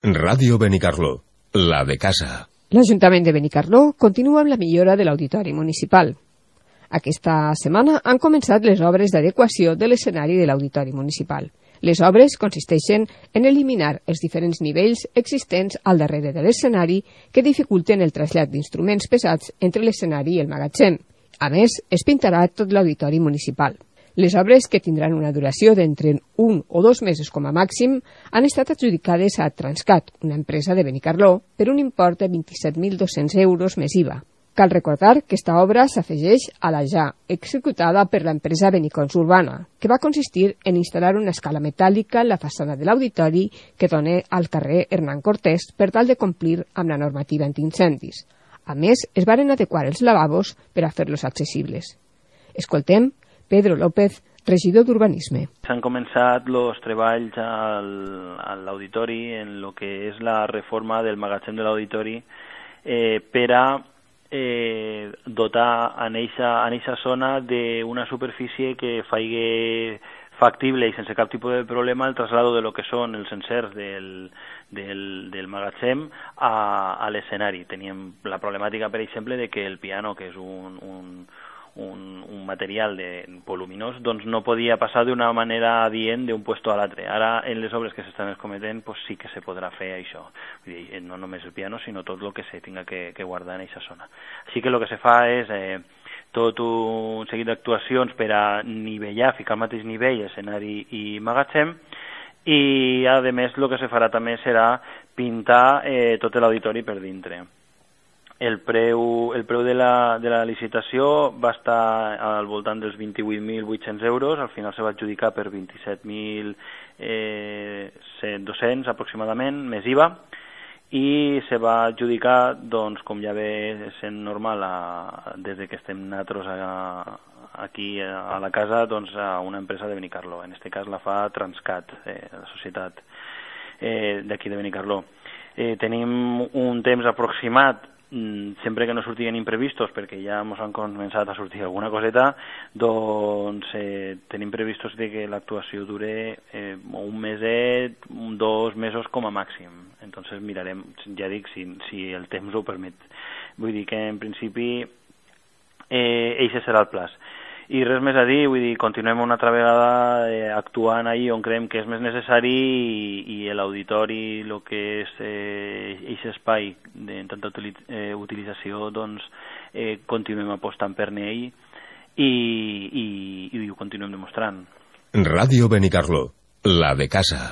Ràdio Benicarló, la de casa. L'Ajuntament de Benicarló continua amb la millora de l'auditori municipal. Aquesta setmana han començat les obres d'adequació de l'escenari de l'auditori municipal. Les obres consisteixen en eliminar els diferents nivells existents al darrere de l'escenari que dificulten el trasllat d'instruments pesats entre l'escenari i el magatzem. A més, es pintarà tot l'auditori municipal. Les obres, que tindran una duració d'entre 1 o 2 mesos com a màxim, han estat adjudicades a Transcat, una empresa de Benicarló, per un import de 27.200 euros més IVA. Cal recordar que esta obra s'afegeix a la ja executada per l'empresa Benicons Urbana, que va consistir en instal·lar una escala metàl·lica en la façana de l'auditori que dona al carrer Hernán Cortés per tal de complir amb la normativa antiincendis. A més, es varen adequar els lavabos per a fer-los accessibles. Escoltem Pedro López, regidor d'Urbanisme. S'han començat els treballs a l'auditori en el que és la reforma del magatzem de l'auditori per a dotar en eixa zona d'una superfície que faci factible i sense cap tipus de problema el traslado de lo que són els encerts del magatzem a l'escenari. Teníem la problemàtica, per exemple, de que el piano, que és un material voluminós, doncs no podia passar d'una manera adient d'un puesto a l'altre. Ara, en les obres que s'estan cometent, pues sí que se podrà fer això. Vull dir, no només el piano, sinó tot el que se tinga que guardar en aquesta zona. Així que el que se fa és tot un seguit d'actuacions per a nivellar, ficar al mateix nivell escenari i magatzem, i a més el que se farà també serà pintar tot l'auditori per dintre. El preu de la licitació va estar al voltant dels 28.800 euros, al final se va adjudicar per 27.200 aproximadament, més IVA, i se va adjudicar, doncs, com ja ve sent normal des que estem nosaltres aquí a la casa, doncs, a una empresa de Benicarló. En aquest cas la fa Transcat, la societat d'aquí de Benicarló. Tenim un temps aproximat, sempre que no sortien imprevistos, perquè ja ens han començat a sortir alguna coseta, doncs tenim previstos de que l'actuació dure un meset, 2 mesos com a màxim. Entonces mirarem, ja dic, si el temps ho permet. Vull dir que en principi eixe serà el plaç. I res més a dir, vull dir, continuem una altra vegada actuant ahí on creiem que és més necessari i l'auditori, el que és aquest espai de tanta utilització, doncs continuem apostant per ell i ho continuem demostrant. Ràdio Benicarló, la de casa.